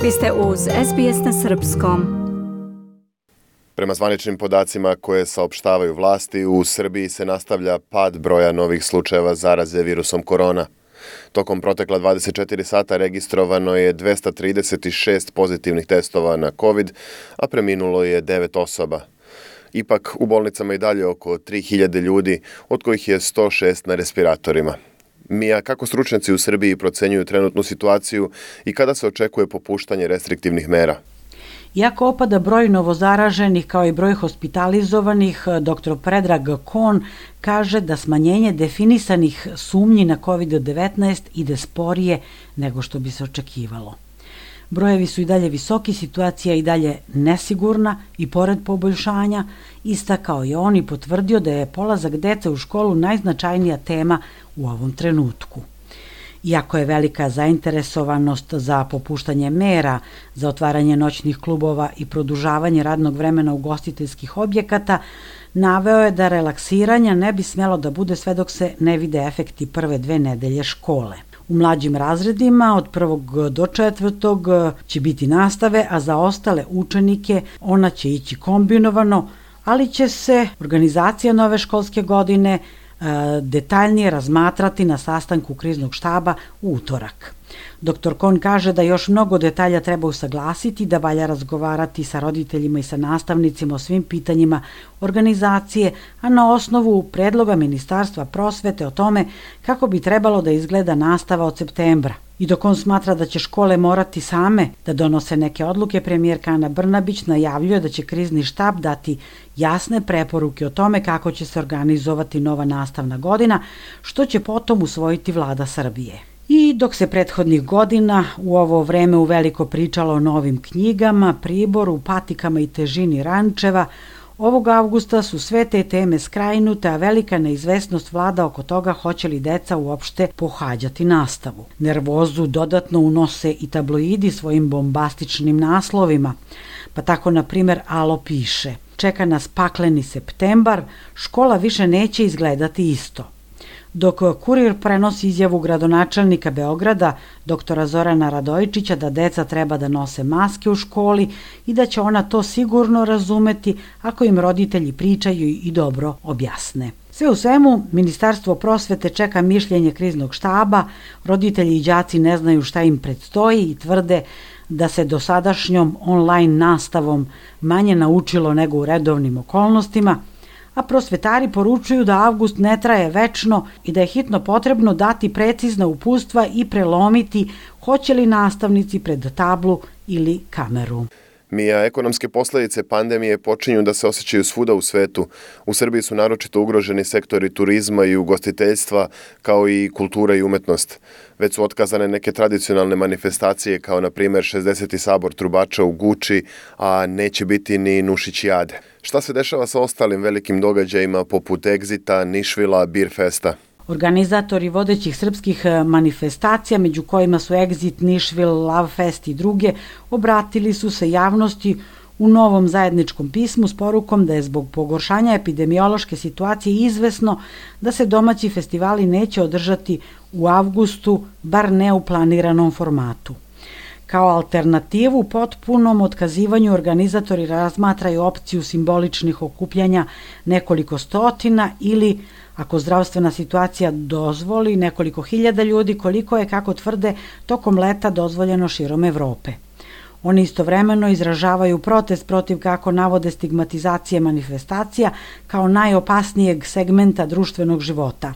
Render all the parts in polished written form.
Vi ste uz SBS na srpskom. Prema zvaničnim podacima koje saopštavaju vlasti, u Srbiji se nastavlja pad broja novih slučajeva zaraze virusom korona. Tokom protekla 24 sata registrovano je 236 pozitivnih testova na COVID, a preminulo je 9 osoba. Ipak, u bolnicama i dalje oko 3000 ljudi, od kojih je 106 na respiratorima. Mija, kako stručnjaci u Srbiji procenjuju trenutnu situaciju i kada se očekuje popuštanje restriktivnih mera? Iako opada broj novozaraženih kao i broj hospitalizovanih, dr. Predrag Kon kaže da smanjenje definisanih sumnji na COVID-19 ide sporije nego što bi se očekivalo. Brojevi su i dalje visoki, situacija i dalje nesigurna i pored poboljšanja, istakao je on i potvrdio da je polazak dece u školu najznačajnija tema u ovom trenutku. Iako je velika zainteresovanost za popuštanje mera, za otvaranje noćnih klubova i produžavanje radnog vremena ugostiteljskih objekata, naveo je da relaksiranja ne bi smjelo da bude sve dok se ne vide efekti prve 2 nedelje škole. U mlađim razredima od 1. do 4. će biti nastave, a za ostale učenike ona će ići kombinovano, ali će se organizacija nove školske godine detaljnije razmatrati na sastanku kriznog štaba u utorak. Dr. Kon kaže da još mnogo detalja treba usaglasiti, da valja razgovarati sa roditeljima i sa nastavnicima o svim pitanjima organizacije, a na osnovu predloga Ministarstva prosvete o tome kako bi trebalo da izgleda nastava od septembra. I dok on smatra da će škole morati same da donose neke odluke, premijerka Ana Brnabić najavljuje da će krizni štab dati jasne preporuke o tome kako će se organizovati nova nastavna godina, što će potom usvojiti vlada Srbije. I dok se prethodnih godina u ovo vreme uveliko pričalo o novim knjigama, priboru, patikama i težini rančeva, ovog avgusta su sve te teme skrajnute, a velika neizvesnost vlada oko toga hoće li deca uopšte pohađati nastavu. Nervozu dodatno unose i tabloidi svojim bombastičnim naslovima, pa tako na primjer Alo piše: čeka nas pakleni septembar, škola više neće izgledati isto. Dok Kurir prenosi izjavu gradonačelnika Beograda, doktora Zorana Radojičića, da deca treba da nose maske u školi i da će ona to sigurno razumeti ako im roditelji pričaju i dobro objasne. Sve u svemu, Ministarstvo prosvete čeka mišljenje kriznog štaba, roditelji i đaci ne znaju šta im predstoji i tvrde da se dosadašnjom online nastavom manje naučilo nego u redovnim okolnostima, a prosvetari poručuju da avgust ne traje večno i da je hitno potrebno dati precizna uputstva i prelomiti hoće li nastavnici pred tablu ili kameru. Mija, ekonomske posljedice pandemije počinju da se osjećaju svuda u svetu. U Srbiji su naročito ugroženi sektori turizma i ugostiteljstva, kao i kultura i umetnost. Već su otkazane neke tradicionalne manifestacije, kao na primjer 60. sabor trubača u Guči, a neće biti ni Nušićijade. Šta se dešava sa ostalim velikim događajima poput Egzita, Nišvila, Beer Festa? Organizatori vodećih srpskih manifestacija, među kojima su Exit, Nišvil, Love Fest i druge, obratili su se javnosti u novom zajedničkom pismu s porukom da je zbog pogoršanja epidemiološke situacije izvesno da se domaći festivali neće održati u avgustu, bar ne u planiranom formatu. Kao alternativu potpunom otkazivanju organizatori razmatraju opciju simboličnih okupljanja nekoliko stotina ili, ako zdravstvena situacija dozvoli, nekoliko hiljada ljudi, koliko je, kako tvrde, tokom leta dozvoljeno širom Evrope. Oni istovremeno izražavaju protest protiv, kako navode, stigmatizacije manifestacija kao najopasnijeg segmenta društvenog života.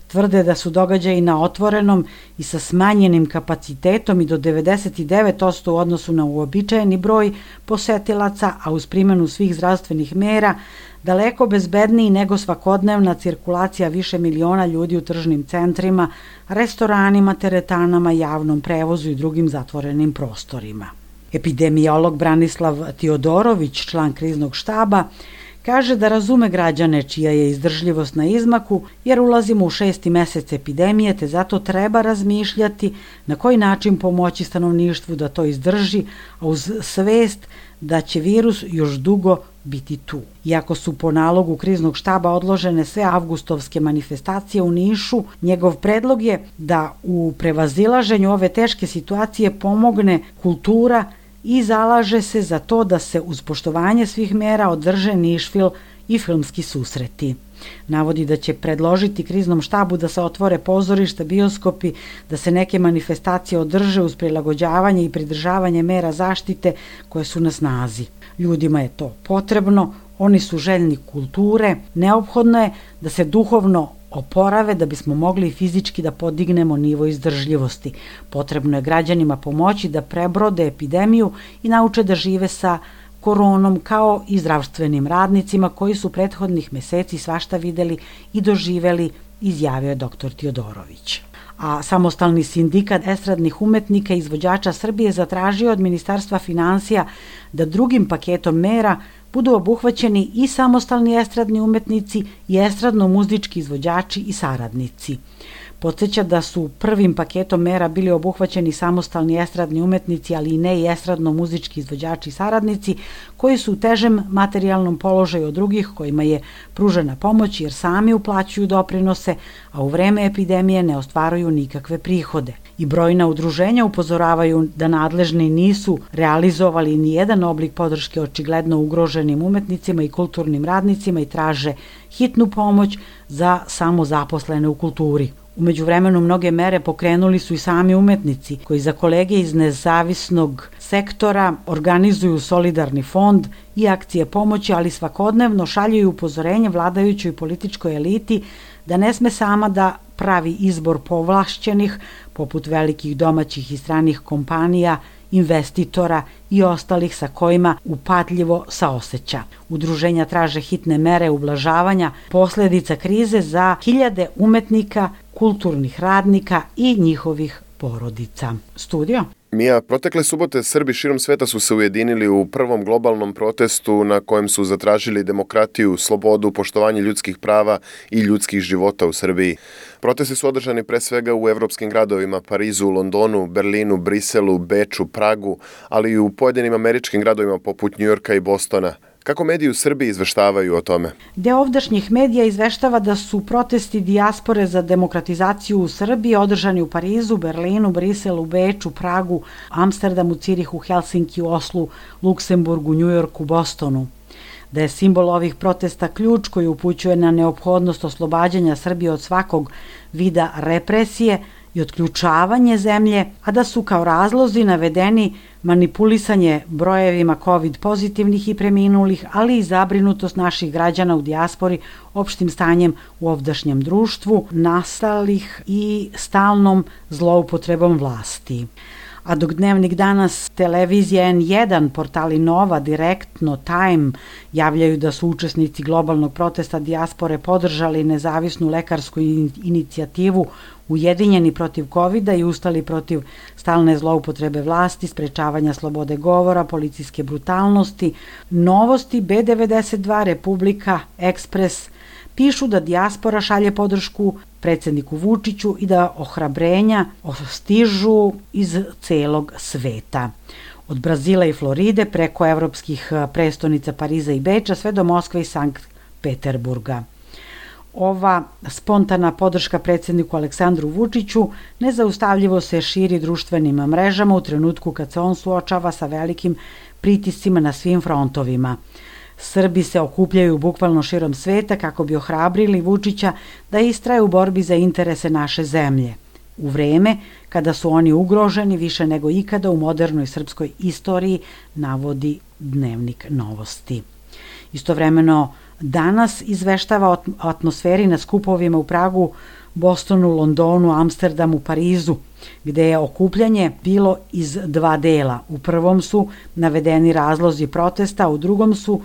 Tvrde da su događaji na otvorenom i sa smanjenim kapacitetom i do 99% u odnosu na uobičajeni broj posetilaca, a uz primjenu svih zdravstvenih mera, daleko bezbedniji nego svakodnevna cirkulacija više miliona ljudi u tržnim centrima, restoranima, teretanama, javnom prevozu i drugim zatvorenim prostorima. Epidemiolog Branislav Tiodorović, član kriznog štaba, kaže da razume građane čija je izdržljivost na izmaku, jer ulazimo u 6. mesec epidemije, te zato treba razmišljati na koji način pomoći stanovništvu da to izdrži, a uz svest da će virus još dugo biti tu. Iako su po nalogu kriznog štaba odložene sve avgustovske manifestacije u Nišu, njegov predlog je da u prevazilaženju ove teške situacije pomogne kultura i zalaže se za to da se uz poštovanje svih mera održe Nišfil i filmski susreti. Navodi da će predložiti kriznom štabu da se otvore pozorišta, bioskopi, da se neke manifestacije održe uz prilagođavanje i pridržavanje mera zaštite koje su na snazi. Ljudima je to potrebno, oni su željni kulture, neophodno je da se duhovno oporave da bismo mogli fizički da podignemo nivo izdržljivosti. Potrebno je građanima pomoći da prebrode epidemiju i nauče da žive sa koronom kao i zdravstvenim radnicima koji su prethodnih meseci svašta videli i doživeli, izjavio je dr. Tiodorović. A samostalni sindikat estradnih umetnika i izvođača Srbije zatražio od Ministarstva finansija da drugim paketom mera budu obuhvaćeni i samostalni estradni umetnici i estradno-muzički izvođači i saradnici. Podsjeća da su prvim paketom mera bili obuhvaćeni samostalni estradni umetnici, ali i ne i estradno-muzički izvođači i saradnici, koji su u težem materijalnom položaju od drugih kojima je pružena pomoć jer sami uplaćuju doprinose, a u vreme epidemije ne ostvaruju nikakve prihode. I brojna udruženja upozoravaju da nadležni nisu realizovali ni jedan oblik podrške očigledno ugroženim umetnicima i kulturnim radnicima i traže hitnu pomoć za samozaposlene u kulturi. U međuvremenu mnoge mere pokrenuli su i sami umetnici koji za kolege iz nezavisnog sektora organizuju solidarni fond i akcije pomoći, ali svakodnevno šalju upozorenje vladajućoj političkoj eliti da ne sme sama da pravi izbor povlašćenih, poput velikih domaćih i stranih kompanija, investitora i ostalih sa kojima upadljivo saoseća. Udruženja traže hitne mere ublažavanja posledica krize za hiljade umetnika, kulturnih radnika i njihovih porodica. Studio? Mija, protekle subote Srbi širom sveta su se ujedinili u prvom globalnom protestu na kojem su zatražili demokratiju, slobodu, poštovanje ljudskih prava i ljudskih života u Srbiji. Protesti su održani pre svega u evropskim gradovima Parizu, Londonu, Berlinu, Briselu, Beču, Pragu, ali i u pojedinim američkim gradovima poput Njujorka i Bostona. Kako mediji u Srbiji izveštavaju o tome? Deo ovdašnjih medija izveštava da su protesti dijaspore za demokratizaciju u Srbiji održani u Parizu, Berlinu, Briselu, Beču, Pragu, Amsterdamu, Cirihu, Helsinkiju, Oslu, Luksemburgu, Njujorku, Bostonu. Da je simbol ovih protesta ključ koji upućuje na neophodnost oslobađanja Srbije od svakog vida represije i otključavanje zemlje, a da su kao razlozi navedeni manipulisanje brojevima COVID pozitivnih i preminulih, ali i zabrinutost naših građana u dijaspori opštim stanjem u ovdašnjem društvu, nastalih i stalnom zloupotrebom vlasti. A dok Dnevnik danas, televizija N1, portali Nova, Direktno, Time javljaju da su učesnici globalnog protesta dijaspore podržali nezavisnu lekarsku inicijativu Ujedinjeni protiv COVID-a i ustali protiv stalne zloupotrebe vlasti, sprečavanja slobode govora, policijske brutalnosti, Novosti, B92, Republika, Ekspres pišu da dijaspora šalje podršku predsedniku Vučiću i da ohrabrenja stižu iz celog sveta. Od Brazila i Floride preko evropskih prestonica Pariza i Beča sve do Moskve i Sankt Peterburga. Ova spontana podrška predsedniku Aleksandru Vučiću nezaustavljivo se širi društvenim mrežama u trenutku kad se on suočava sa velikim pritiscima na svim frontovima. Srbi se okupljaju bukvalno širom sveta kako bi ohrabrili Vučića da istraje u borbi za interese naše zemlje. U vreme kada su oni ugroženi više nego ikada u modernoj srpskoj istoriji, navodi Dnevnik Novosti. Istovremeno danas izveštava o atmosferi na skupovima u Pragu, Bostonu, Londonu, Amsterdamu, Parizu, gde je okupljanje bilo iz dva dela. U prvom su navedeni razlozi protesta, u drugom su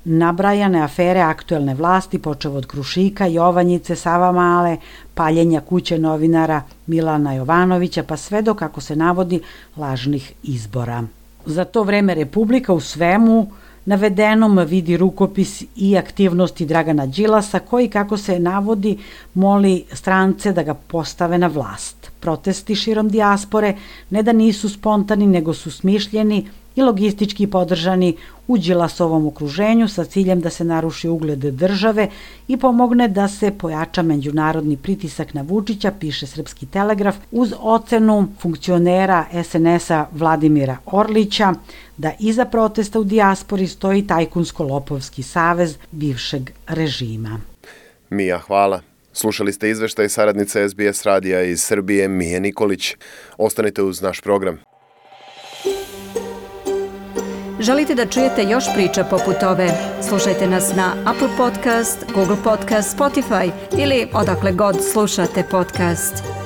nabrajane afere aktuelne vlasti, počev od Krušika, Jovanjice, Savamale, paljenja kuće novinara Milana Jovanovića, pa sve do, kako se navodi, lažnih izbora. Za to vreme Republika u svemu navedenom vidi rukopis i aktivnosti Dragana Đilasa koji, kako se navodi, moli strance da ga postave na vlast. Protesti širom dijaspore ne da nisu spontani, nego su smišljeni i logistički podržani u Đilasovom okruženju sa ciljem da se naruši ugled države i pomogne da se pojača međunarodni pritisak na Vučića, piše Srpski telegraf, uz ocenu funkcionera SNS-a Vladimira Orlića da iza protesta u dijaspori stoji tajkunsko-lopovski savez bivšeg režima. Mija, hvala. Slušali ste izveštaj saradnice SBS radija iz Srbije Mije Nikolić. Ostanite uz naš program. Želite da čujete još priča poput ove? Slušajte nas na Apple Podcast, Google Podcast, Spotify ili odakle god slušate podcast.